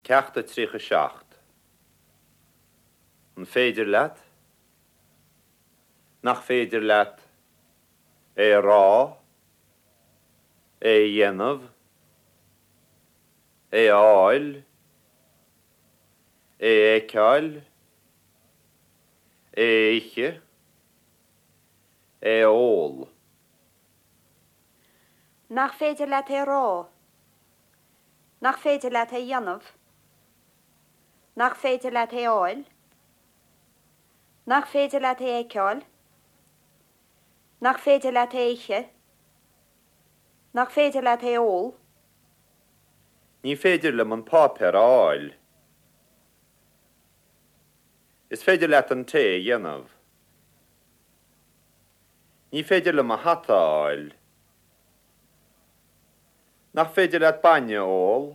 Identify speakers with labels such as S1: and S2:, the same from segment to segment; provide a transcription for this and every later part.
S1: Ceacht a 37. An féidir leat? Nach féidir leat? É a rá? É a dhéanamh? É a fháil? É a fheiceáil? É a ithe? É a ól?
S2: Nach féidir leat é a rá? Nach féidir leat é a dhéanamh? Nach féidir leat é a fháil? Nach féidir leat é a fheiceáil? Nach féidir leat é a ithe? Nach féidir leat é a ól?
S1: Ní féidir liom an páipéar a fháil. Is féidir leat an tae a dhéanamh. Ní féidir liom mo hata a fháil. Nach féidir leat bainne a ól?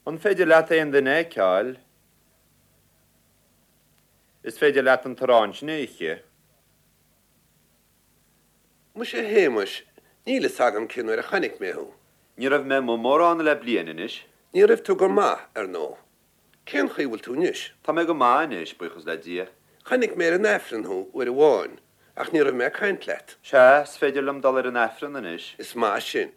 S1: An féidir leat aon duine a fheiceáil? Is féidir leat an t-arán sin a ithe.
S3: Muise a Shéamais, níl fhios agam cén uair a chonaic mé thú.
S1: Ní raibh mé amuigh mórán le bliain anois.
S3: Ní raibh tú go maith, ar ndóigh. Cén chaoi a bhfuil tú anois?
S1: Tá mé go maith anois, buíochas le Dia.
S3: Chonaic mé ar an Aifreann thú uair amháin, ach ní raibh mé ag caint leat.
S1: Sea, is féidir liom dul ar an Aifreann anois.
S3: Is maith sin.